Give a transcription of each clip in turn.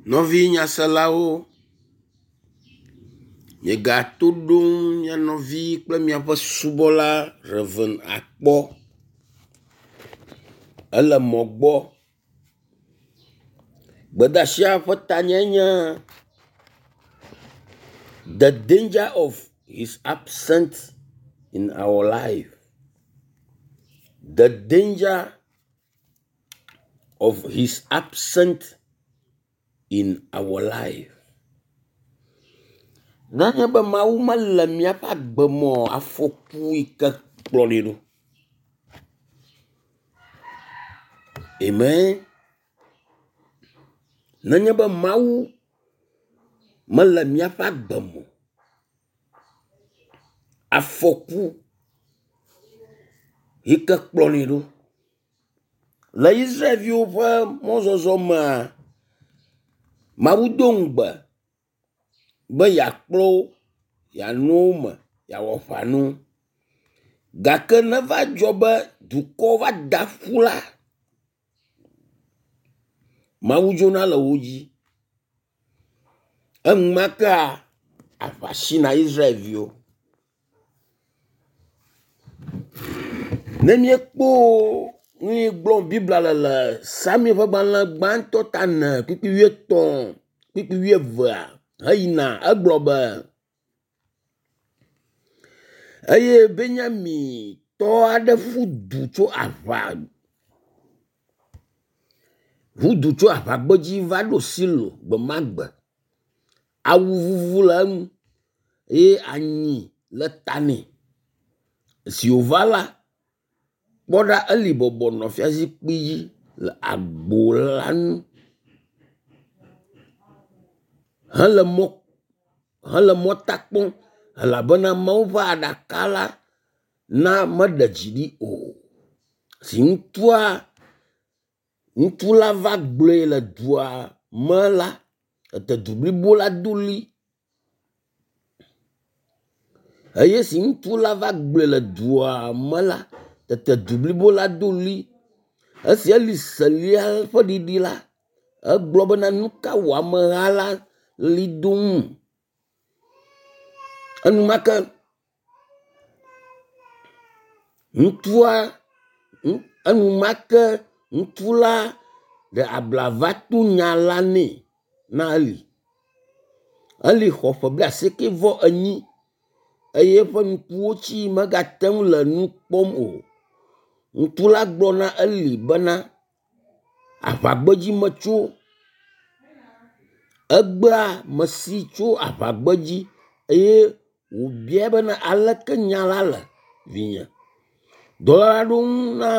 Nɔvi nyaselawo, miegato ɖom mia nɔvi kple miaƒe subɔla Rev. Akpɔ. Ele mɔ gbɔ. Gbedeasia ƒe tanyae nye “The danger of his absent in our life. The danger of his absent in our life.” Nenye be Mawu mele míaƒe agbe me oa, afɔku yi ke kplɔnɛ ɖo. Amen. Nenye be Mawu mele míaƒe agbe me o, afɔku yi ke kplɔnɛ ɖo. Le Israelviwo ƒe mɔzɔzɔ mea, Mawu do ŋugbe be yeakplɔ wo, yeanɔ wo me, yeawɔ aʋa na wo. Gake neva dzɔ be dukɔ va da ƒu la, Mawu dzona le wo dzi. Enumakea aʋa sina Israelviwo. Ne míekpɔ nu yi gblɔm Biblia le le Samuel ƒe gbalẽ gbãtɔ ta ene kpukpui wuietɔ̃ kpukpui wuievea heyina egblɔ be, eye Benyamintɔ aɖe ƒu du tso aʋa ƒu du tso aʋagbedzi va ɖo Silo gbe ma gbe. Awu vuvu le eŋu eye anyi le ta nɛ. Esi wòva la, kpɔ ɖa Eli bɔbɔ nɔ fiazikpui dzi le agbo la nu hele mɔ hele mɔta kpɔm elabena Mawu ƒe aɖaka la na meɖe dzi ɖi o. Si ŋutsua ŋutsu la va gblɔe le dua me la, tete du blibo la do ɣli eye esi ŋutsu la va gblɔe le dua me la, tete du blibo la do ɣli. Esi Eli se ɣlia ƒe ɖiɖi la, egblɔ bena nu ka wɔ ameha la ɣli dom? Enumake ŋutsua enumake ŋutsu la ɖe abla va to nya la nɛ na Eli. Eli xɔ ƒe blaasieke vɔ enyi eye eƒe ŋkuwo tsi megate ŋu le nu kpɔm o. Ŋutsu la gblɔ na Eli bena, aʋagbedzi metso. Egbea mesi tso aʋagbedzi eye wòbiae bena aleke nya la le vinye. Dɔla la ɖo ŋu na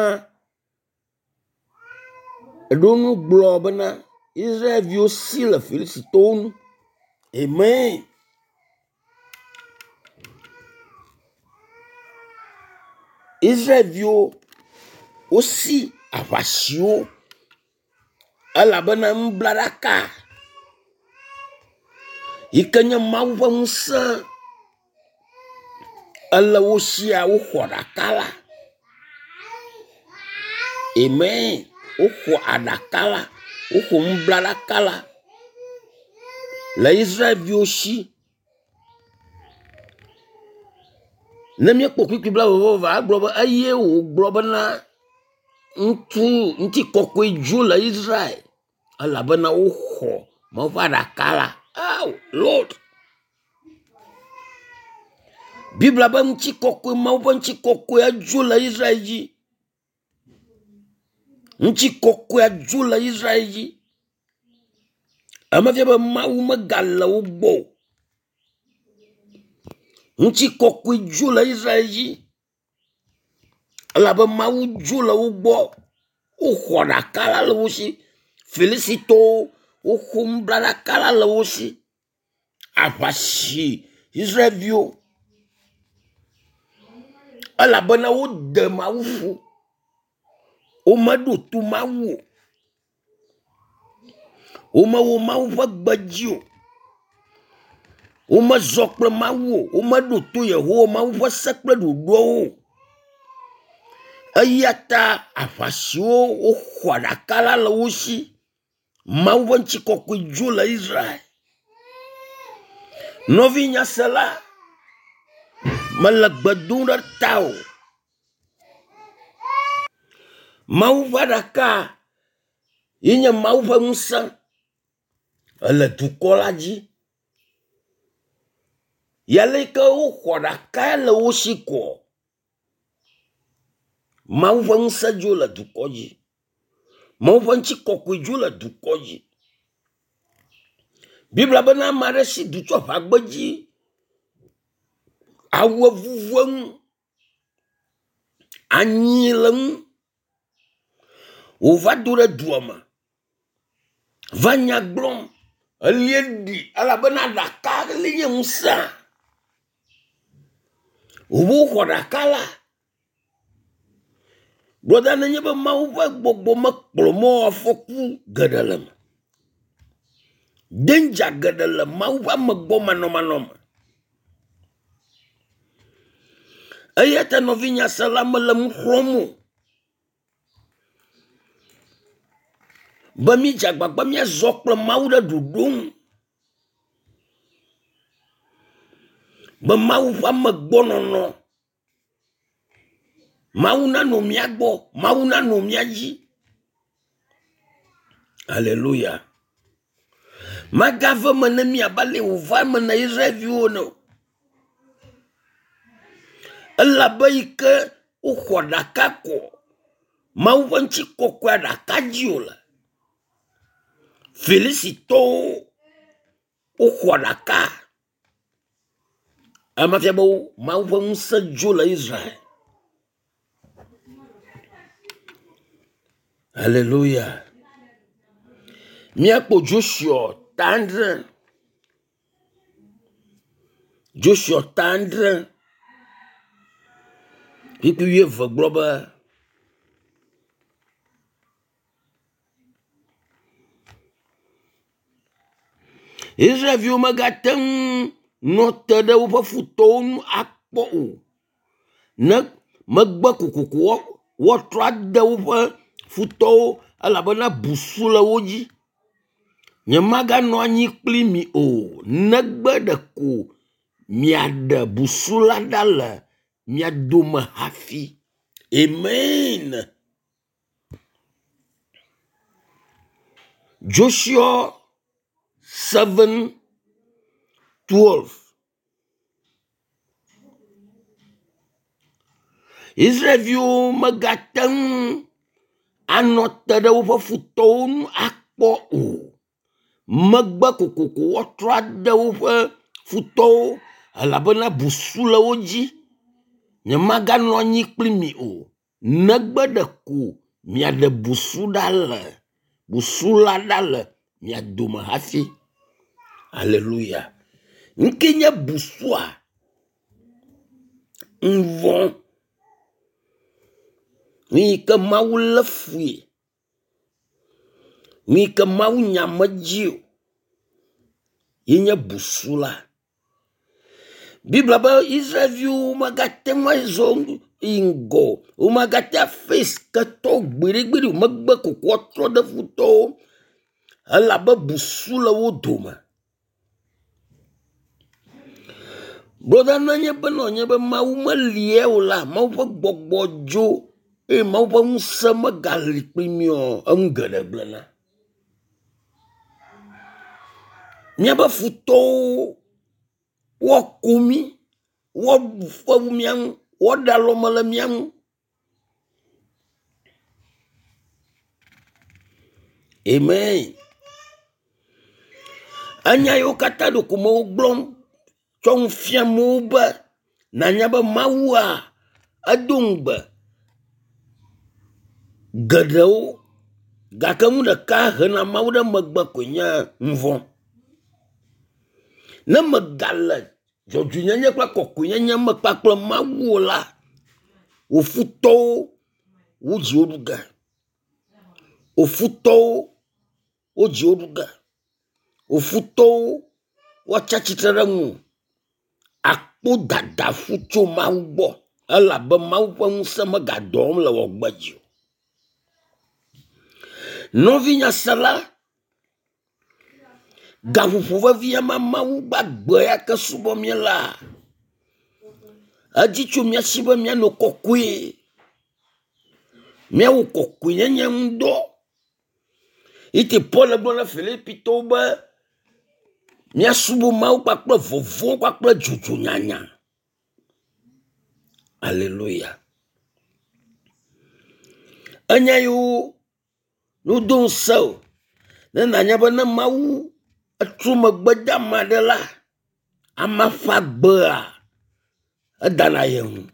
eɖo ŋu gblɔ bena Israelviwo si le Filistitɔwo nu. Amen. Israelviwo wosi aʋasiwo elabena nublaɖaka yi ke nye Mawu ƒe ŋusẽ ele wo sia woxɔ aɖaka la. Amen. Woxɔ aɖaka la. Woxɔ nublaɖaka la le Israelviwo si. Ne míekpɔ kpukpui blaeve-vɔ-eve egblɔ be eye wògblɔ bena ŋutsu ŋutikɔkɔe dzo le Israel elabena woxɔ Mawu ƒe aɖaka la. Oh Lord. Biblia be ŋutikɔkɔe Mawu ƒe ŋutikɔkɔe dzo le Israel dzi. Ŋutikɔkɔea dzo le Israel dzi. Eme fia be Mawu megale wo gbɔ o. Ŋutikɔkɔe dzo le Israel dzi elabe Mawu dzo le wo gbɔ. Woxɔ aɖaka la le wo si. Filisitɔwo woxɔ nublaɖaka la le wo si. Aʋa si Israelviwo elabena wode Mawu ƒu. Womeɖo to Mawu o. Womewɔ Mawu ƒe gbe dzi o. Womezɔ kple Mawu o. Womeɖo to Yehowa Mawu ƒe se kple ɖoɖoawo o. Eya ta aʋa siwo woxɔ aɖaka la le wo si. Mawu ƒe ŋutikɔkɔe dzo le Israel. Nɔvi nyasela, mele gbe dom ɖe tawò. Mawu ƒe aɖaka ye nye Mawu ƒe ŋusẽ ele dukɔ la dzi. Yale yi ke woxɔ ɖaka le wo si koa, Mawu ƒe ŋusẽ dzo le dukɔ dzi. Mawu ƒe ŋutikɔkɔe dzo le dukɔ dzi. Biblia bena ame aɖe si du tso aʋagbedzi, awu evuvu eŋu, anyi le eŋu wòva do ɖe dua me va nya gblɔm. Elie ɖi elabena ɖaka li nye ŋusẽa. Wobe woxɔ ɖaka la. Brɔda nenye be Mawu ƒe gbɔgbɔ mekplɔ mɔ afɔku geɖe le eme. Danger geɖe le Mawu ƒe amegbɔ manɔmanɔ me. Eya ta nɔvinyasela mele nu xlɔ̃m o be mídze agbagba míazɔ kple Mawu ɖe ɖoɖo nu. Be Mawu ƒe amegbɔnɔnɔ, Mawu nanɔ mía gbɔ, Mawu nanɔ mía dzi. Aleluya. Magave eme ne mí abe ale wòva eme na Israelviwo ene o. Elabe yi ke woxɔ ɖaka kɔ Mawu ƒe ŋutikɔkɔea ɖaka dzi wòle. Filisitɔwo woxɔ ɖaka. Ema fia be Mawu ƒe ŋusẽ dzo le Israel. Hallelujah. Míakpɔ Joshua ta adre. Joshua ta adre. Kpukpui wuieve gblɔ be. Israelviwo megate ŋu nɔ te ɖe woƒe futɔwo nu akpɔ o. Ne megbe kokoko woatrɔ ade woƒe futɔwo elabena busu le wo dzi. Nyemaganɔ anyi kpli mi o, negbe ɖeko miaɖe busu la ɖa le mia dome hafi. Amen. Joshua 7 12. Israelviwo megate ŋu anɔ te ɖe woƒe futɔwo nu akpɔ o. Megbe kokoko woatrɔ ade woƒe futɔwo elabena busu le wo dzi. Nyemaganɔ anyi kpli mi o. Negbe ɖeko miaɖe busu ɖa le busu la ɖa le mia dome hafi. Aleluya. Nuke nye busua? Nuvɔ. Nu yi ke Mawu lé fui. Nu yi ke Mawu nya medzi o ye nye busu la. Biblia be Israelviwo megate ŋu azɔ yi ŋgɔ o. Womagate face ketɔwo gbeɖegbeɖe o. Megbe kokoko woatrɔ ɖe futɔwo elabe busu le wo dome. Brɔda nenye be nɔ be Mawu melie o la, Mawu ƒe gbɔgbɔ dzo eye Mawu ƒe ŋusẽ megali kpli mí o, enu geɖe gblẽna. Míaƒe futɔwo woako mí, woaɖu fewu mía ŋu, woaɖe alɔme le mía ŋu. Amen. Enya yiwo katã ɖeko mewo gblɔm tsɔ nu fiam wo be nanya be Mawua edo ŋugbe geɖewo gake nu ɖeka hena Mawu ɖe megbe koe nye nuvɔ̃. Ne megale dzɔdzɔenyenye kple kɔkɔenyenye me kpakple Mawu o la, wò futɔwo wo dzi wo ɖu ge. Wò futɔwo wo dzi wo ɖu ge. Wò futɔwo woatsi atsitre ɖe ŋuwò. Akpo dadaƒu tso Mawu gbɔ elabe Mawu ƒe ŋusẽ megadɔ wɔm le wò agbe dzi o. Nɔvinyasela. Gaƒoƒo vevi ma Mawu gbagbe ya ke subɔ míelea, edzi tso mía si be míanɔ kɔkɔe. Míawɔ kɔkɔenyenye ŋu dɔ. Eye Paul gblɔ na Filipitɔwo be míasubɔ Mawu kpakple vɔvɔ̃ kpakple dzodzo nyanya. Aleluya. Enya yiwo wodo ŋusẽ o ne nànya be ne Mawu etrɔ megbe de ame aɖe la, amea ƒe agbea edana ye ŋu.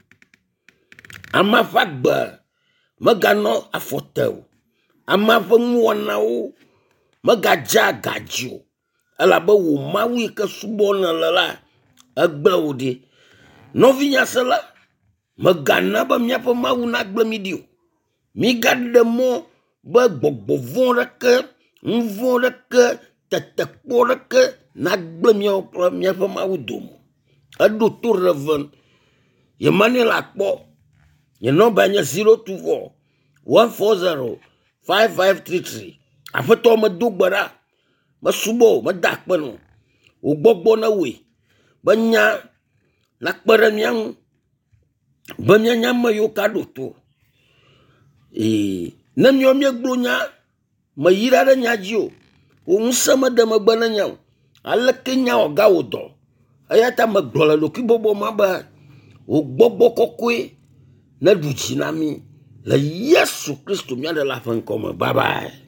Amea ƒe agbe meganɔ afɔ te o. Amea ƒe nuwɔnawo megadze aga dzi o elabe wò Mawu yi ke subɔm nèle la, egblẽ wò ɖi. Nɔvinye sela, mègana be míaƒe Mawu nagblẽ mí ɖi o. Mígaɖe mɔ be gbɔgbɔ vɔ̃ ɖeke, nu vɔ̃ ɖeke, tetekpɔ ɖeke nagblẽ míawo kple míaƒe Mawu dome. Eɖo to Rev. Emmanuel akpɔ. Nye nɔmba nye 024 140 5533. Aƒetɔ medo gbe ɖa, mesubɔ wò, meda akpe nɔ. Wò gbɔgbɔ newɔe be nya nakpe ɖe mía ŋu be míanye ame yiwo ka ɖo to. Ee, ne míawo míegblɔ nya meyra ɖe nya dzi o, wò ŋusẽ mede megbe na nya o. Aleke nya wɔ gawɔ dɔ? Eya ta megblɔ le ɖokuibɔbɔ ma be wò gbɔgbɔ kɔkɔe neɖu dzi na mí le Yesu Kristo mía Ɖela ƒe ŋkɔ me. Bye bye.